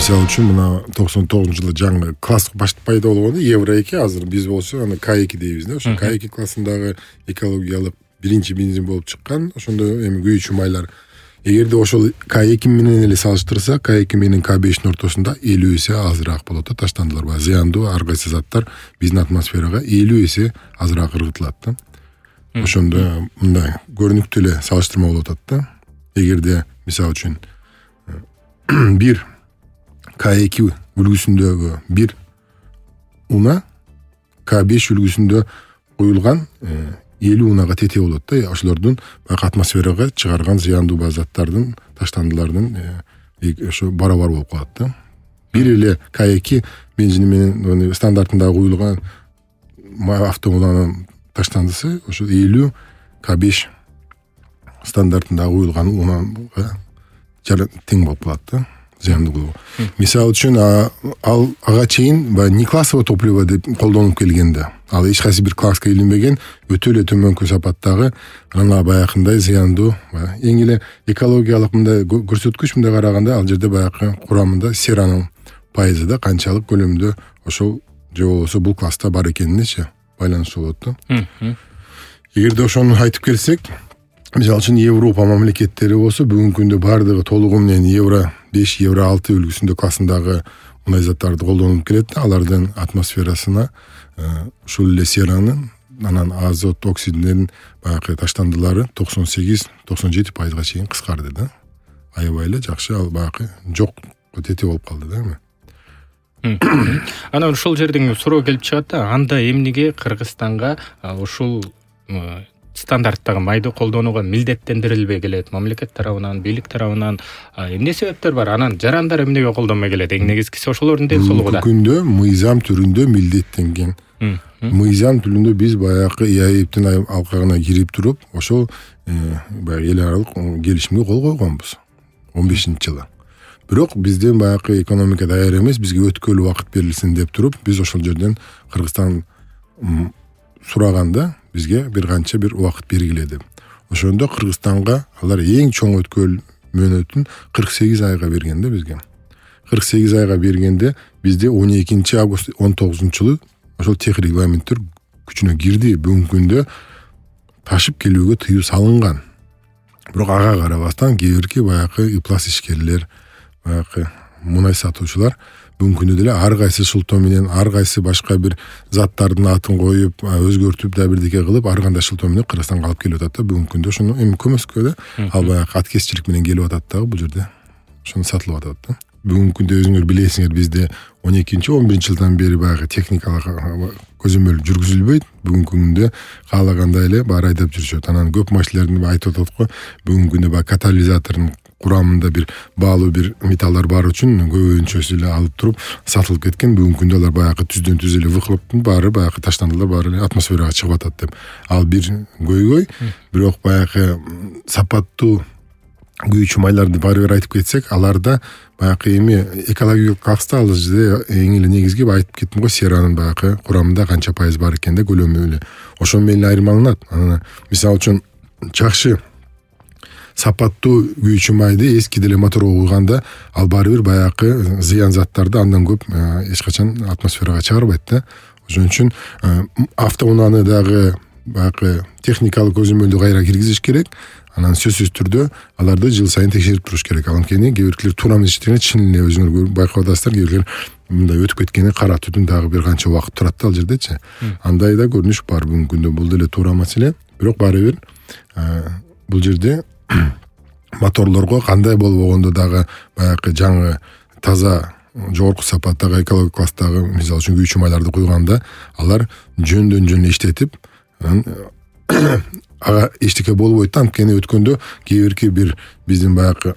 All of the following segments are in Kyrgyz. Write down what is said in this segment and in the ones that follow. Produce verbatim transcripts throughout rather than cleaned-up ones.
Мисалы үчүн мына токсон тогузунчу жылы жаңы класс баш пайда болгондо евро эки, азыр биз болсо аны К эки дейбиз да. Ошо К эки классындагы экологиялык биринчи бензин болуп чыккан. Ошондо эми күйүүчү майлар эгерде ошол К эки менен эле салыштырсак, К эки менен К бештин ортосунда элүү эсе азыраак болот да таштандылар. Баягы зыяндуу ар кайсы заттар биздин атмосферага элүү эсе азыраак ыргытылат да. Ошондо мындай көрүнүктүү эле салыштырма болуп атат да. Эгерде мисалы үчүн бир К эки үлгүсүндөгү бир уна К беш үлгүсүндө куюлган элүү унага тете болот да. Ошолордун баягы атмосферага чыгарган зыяндуу заттардын, таштандылардын ошо барабар болуп калат да. Бир эле К эки бензини менен стандартында куюлган автоунанын таштандысы ошо элүү К беш стандартында куюлган унага тең болуп калат да. Зыяндуулугу. Мисалы үчүн ал ага чейин баягы неклассовый топливо деп колдонулуп келгенде, ал эч кайсы бир класска илинбеген өтө эле төмөнкү сапаттагы ана баягындай зыяндуу, эң эле экологиялык мындай көрсөткүч мындай караганда ал жерде баягы курамында серанын пайызы да канчалык көлөмдө ошол же болбосо бул класста бар экенинечи байланыштуу болот да. Эгерде ошону айтып келсек, мисалы үчүн Европа мамлекеттери болсо бүгүнкү күндө бардыгы толугу менен евро беш, евро алты үлгүсүндө классындагы мындай заттарды колдонуп келет да. Алардын атмосферасына ушул эле серанын, анан азот оксидинин баягы таштандылары токсон сегиз токсон жети пайызга чейин кыскарды да. Аябай эле жакшы, ал баягы жок тете болуп калды да эми. Анан ушул жерден суроо келип чыгат да, анда эмнеге Кыргызстанга ушул стандарттагы майды колдонууга милдеттендирилбей келет? Мамлекет тарабынан, бийлик тарабынан эмне себептер бар? Анан жарандар эмнеге колдонбой келет? Эң негизгиси ошолордун ден соолугу да. Бүгүнкү күндө мыйзам түрүндө милдеттенген. Мыйзам түрүндө биз баягы ИАЭПтин алкагына кирип туруп, ошол баягы эл аралык келишимге кол койгонбуз он бешинчи жылы. Бирок бизден баягы экономика даяр эмес, бизге өткөл убакыт берилсин деп туруп, биз ошол жерден Кыргызстан сураганда бизге бир канча бир убакыт бергиле деп. Ошондо Кыргызстанга алар эң чоң өткөл мөөнөтүн кырк сегиз айга берген да бизге. кырк сегиз айга бергенде бизде он экинчи август он тогузунчу жылы ошол тех регламенттер күчүнө кирди. Бүгүнкү күндө ташып келүүгө тыюу салынган. Бирок ага карабастан кээ бирки баягы ыплас ишкерлер, баягы мунай сатуучулар бүгүнкү күндө деле ар кайсы шылтоо менен, ар кайсы башка бир заттардын атын коюп, өзгөртүп да бирдеке кылып, ар кандай шылтоо менен Кыргызстанга алып келип атат да. Бүгүнкү күндө ошону эми көмөскө да, ал баягы аткезчилик менен келип атат дагы бул жерде. Ошону сатылып атат да. Бүгүнкү күндө өзүңөр билесиңер, бизде он экинчи он биринчи жылдан бери баягы техникалык көзөмөл жүргүзүлбөйт. Бүгүнкү күндө каалагандай эле баары айдап жүрүшөт. Анан көп машиналердин айтып атат го, бүгүнкү күндө баягы катализатордун курамында бир баалуу бир металлдар бар үчүн көбүнчөсү эле алып туруп сатылып кеткен. Бүгүнкү күндө алар баягы түздөн түз эле выхлоптун баары баягы таштандылар баары эле атмосферага чыгып атат деп. Ал бир көйгөй. Бирок баягы сапаттуу күйүүчү майларды баары бир айтып кетсек, аларда баягы эми экологиялык класста ал жерде эң эле негизги айтып кеттим го, серанын баягы курамында канча пайыз бар экен да, көлөмү эле. Ошол менен айырмаланат. Анан мисалы үчүн жакшы сапаттуу күйүүчү майды эски деле моторго куйганда ал баары бир баягы зыян заттарды андан көп эч качан атмосферага чыгарбайт да. Ошон үчүн автоунаны дагы баягы техникалык көзөмөлдү кайра киргизиш керек. Анан сөзсүз түрдө аларды жыл сайын текшерип туруш керек. Анткени кээ биркилер туура эмес иштеген, чын эле өзүңөр байкап атасыздар, кээ биркилер мындай өтүп кеткени кара түтүн дагы бир канча убакыт турат да ал жердечи. Андай да көрүнүш бар бүгүнкү күндө. Бул деле туура маселе. Бирок баары бир бул жерде моторлорго кандай болбогондо дагы баягы жаңы таза жогорку сапаттагы экологик класстагы мисалы үчүн күйүүчү майларды куйганда алар жөндөн жөн иштетип, ага эчтеке болбойт да. Анткени өткөндө кээ бирки бир биздин баягы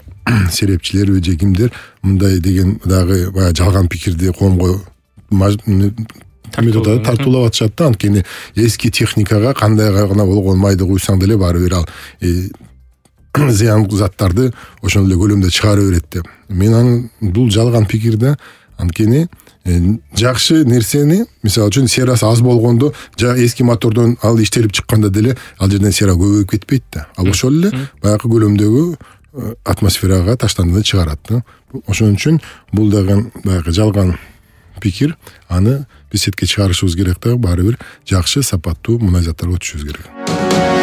серепчилерби же кимдер мындай деген дагы баягы жалган пикирди коомго тартуулап атышат да. Анткени эски техникага кандай гана болгон майды куйсаң деле баары бир ал зыян заттарды ошол эле көлөмдө чыгара берет деп. Мен анын бул жалган пикир да. Анткени жакшы нерсени, мисалы үчүн серасы аз болгондо, эски мотордон ал иштелип чыкканда деле ал жерден сера көбөйүп кетпейт да. Ал ошол эле баягы көлөмдөгү атмосферага таштанды да чыгарат да. Ошон үчүн бул дагы баягы жалган пикир. Аны биз четке чыгарышыбыз керек да, баары бир жакшы сапаттуу мунай заттарга өтүшүбүз керек.